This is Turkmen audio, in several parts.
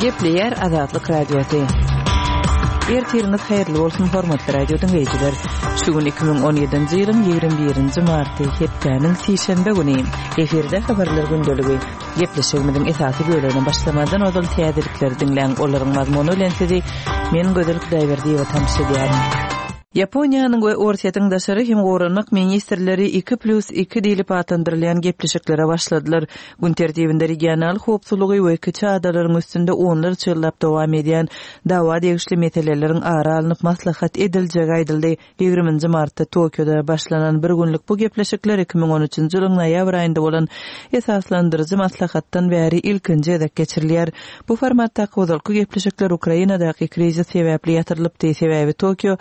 Gepleýär Azatlyk Radiosy. Ertiriňiz haýyrly bolsun, hormatly radio diňleýjiler. Şu gün 2017-nji ýylyň 21-nji marty, hepdäniň sişenbe güni. Efirde habarlar gündeligi. Gepleşigimiziň esasy bölegine başlamazdan ozal täzelikleri diňläň. Olaryň mazmuny bilen sizi men Gözel Hudaýberdiýewa tanyş edýärin. Ýaponiýanyň we Orsýetiň daşary hem goranmak ministrleri iki plýus iki diýlip atlandyrylýan gepleşiklere başladylar. Gün tertibinde regional howpsuzlygy we kiçi adalaryň üstünde onlarça ýyllap dowam edýän dawa degişli meseleleriň ara alnyp maslahat ediljegi aýdyldy. Ýigriminji martda Tokioda başlanan bir günlük bu gepleşikler 2013-nji ýylyň noýabr aýynda bolan esaslandyryjy maslahatdan bäri ilkinji gezek geçirilýär. Bu formatdaky ozalky gepleşikler Ukrainadaky krizis sebäpli ýatyrylypdy, sebäbi Tokio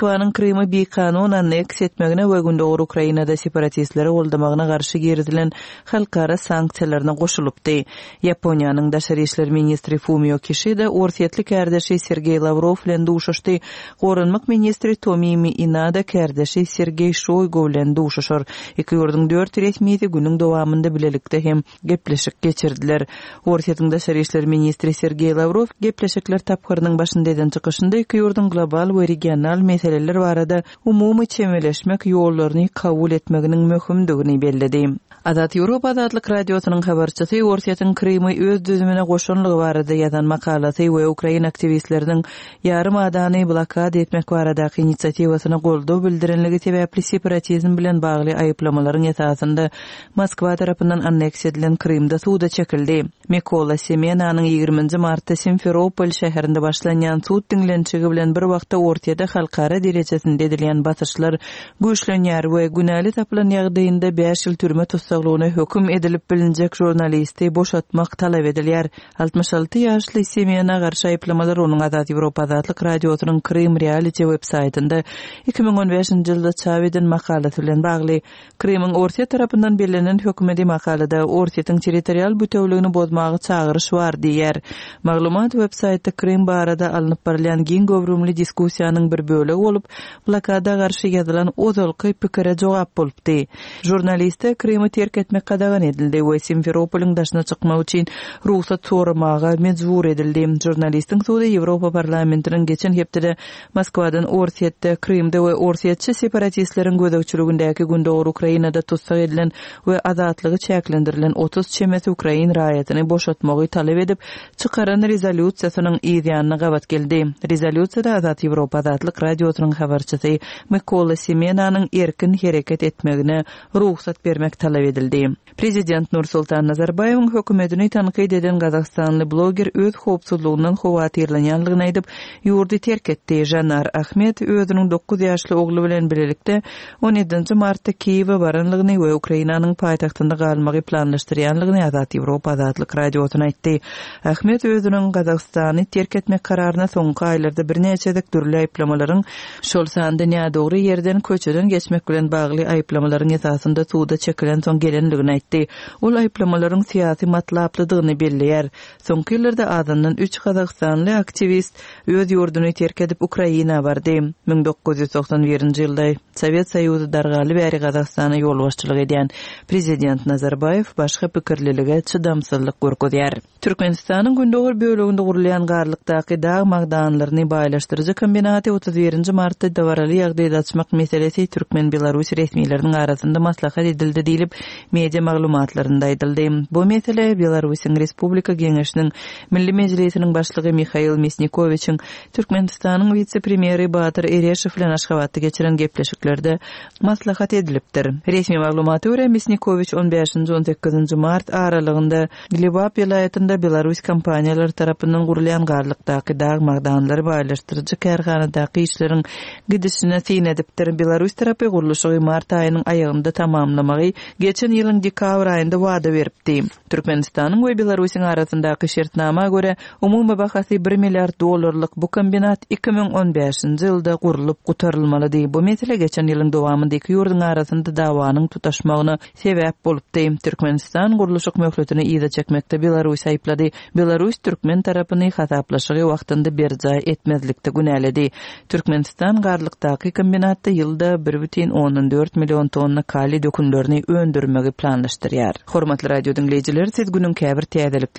Moskwanyň Krymy bikanun anneksiýa etmegine we gündogar Ukrainada separatistleri goldamagyna garşy girizilen halkara sanksiýalaryna goşulypdy. Ýaponiýanyň daşary işler ministri Fumio Kişida orsýetli kärdeşi Sergeý Lawrow bilen duşuşdy. Goranmak ministri Tomimi Inada kärdeşi Sergeý Şoýgu bilen duşuşar. Iki ýurduň dört resmisi günüň dowamynda bilelikde hem gepleşik geçirdiler. Orsýetiň daşary işler ministri Sergeý Lawrow gepleşikler tapgyrynyň başynda eden çykyşynda iki ýurduň global we regional meseleler barada umumy çemeleşmek ýollaryny kabul etmeginiň möhümdigini belledi. Azat Ýewropa Azatlyk Radiosynyň habarçysy Orsýetiň Krymy öz düzümine goşanlygy barada ýazan makalasy we ukrain aktiwistleriniň ýarym adany blokada etmek baradaky inisiatiwasyna goldaw bildirenligi sebäpli separatizm bilen bagly aýyplamalaryň esasynda Moskwa tarapyndan anneksiýa edilen Krymda suda çekildi. Mikola Semenanyň ýigriminji martda Simferopol şäherinde başlanýan sud diňlenişigi bilen bir wagtda Orsýete halkara derejesinde edilýän basyşlar güýçlenýär we günäli tapylan ýagdaýynda bäş ýyl türme tussaglygyna höküm edilip bilinjek žurnalisti boşatmak talap edilýär. 66 ýaşly Semena garşy aýyplamalar onuň Azat Ýewropa Azatlyk Radiosynyň Krym Reality web-saýtynda 2015-nji ýylda çap eden makalasy bilen bagly. Krymyň Orsýet tarapyndan bellenen hökümedi makalada Orsýetiň territorial bütewligini bozmaga çagyryş bar diýýär. Maglumat web-saýtda Krym barada alnyp barylýan giň göwrümli diskussiýanyň bir bölegi bolup, blokada garşy ýazylan ozalky pikire jogap bolupdy. Žurnaliste Krymy terk etmek gadagan edildi we Simferopolyň daşyna çykmak üçin rugsat soramaga mejbur edildi. Žurnalistiň sudy Ýewropa Parlamentiniň geçen hepdede Moskwadan Orsýetde, Krymda we orsýetçi separatistleriň gözegçiligindäki gündogar Ukrainada tussag edilen we azatlygy çäklendirilen 30 çemesi ukrain raýatyny boşatmagy talap edip çykaran rezolýusiýasynyň yz ýanyna gabat geldi. Rezolýusiýada Azat Ýewropa Azatlyk Radiosynyň habarçysy Mykola Semenanyň erkin hereket etmegine rugsat bermek talap edildi. Prezident Nursultan Nazarbaýewiň hökümetini tankyt eden gazagystanly bloger öz howpsuzlygyndan howatyrlanýanlygyny aýdyp, ýurdy terk etdi. Žanar Ahmet özüniň dokuz ýaşly ogly bilen bilelikde on ýedinji martda Kiýewe baranlygyny we Ukrainanyň paýtagtynda galmagy planlaşdyrýanlygyny Azat Ýewropa Azatlyk Radiosyna aýtdy. Ahmet özüniň Gazagystany terk etmek kararyna soňky aýlarda birnäçe gezek dürli aýyplamalaryň şol sanda nädogry ýerden köçeden geçmek bilen bagly aýyplamalaryň esasynda suda çekilensoň gelendigini aýtdy. Ol aýyplamalaryň syýasy matlaplydygyny belleýär. Soňky ýyllarda azyndan üç gazagystanly aktiwist öz ýurduny terk edip Ukraina bardy. 1991-nji ýylda Sowet Soýuzy dargaly bäri Gazagystana ýolbaşçylyk edýän prezident Nazarbaýew başga pikirlilige çydamsyzlyk görkezýär. Türkmenistanyň gündogar böleginde gurulýan Garlykdaky dag magdanlaryny baýlaşdyryjy kombinaty 31-nji martda dabaraly ýagdaýda açmak meselesi türkmen-belarus resmileriniň arasynda maslahat edildi diýlip, media maglumatlarynda aýdyldy. Bu mesele Belarusyň Respublika Geňeşiniň Milli Mejlisiniň Başlygy Mihail Misnikowiçiň Türkmenistanyň wise-premýeri Batyr Ereşow bilen Aşgabatda geçiren gepleşiklerde maslahat edilipdir. Resmi maglumata görä, Misnikowiç on bäşinji-on sekizinji mart aralygynda Lebap welaýatynda belarus kompaniýalary tarapyndan gurulýan Garlykdaky dag magdanlary baýlaşdyryjy kärhanadaky işleriň gidişine syn edipdir. Belarus tarapy gurluşygy mart aýynyň aýagynda tamamlamagy geçen ýylyň dekabr aýynda wada beripdi. Türkmenistanyň we Belarusyň arasyndaky şertnama görä, umumy bahasy bir milliard dollarlyk bu kombinat 2015-nji ýylda gurlup gutarylmalydy. Bu mesele geçen ýylyň dowamynda iki ýurduň arasynda dawanyň tutaşmagyna sebäp bolupdy. Türkmenistan gurluşyk möhletini yza çekmekde Belarusy aýyplady. Belarus türkmen tarapyny hasaplaşygy wagtynda berjaý etmezlikde günäledi. Türkmenistan Garlykdaky kombinatda ýylda bir bütin ondan dört million tonna kaliý dökünlerini öndürmegi planlaşdyrýar. Hormatly radio diňleýjiler, siz günüň käbir täzelikleri.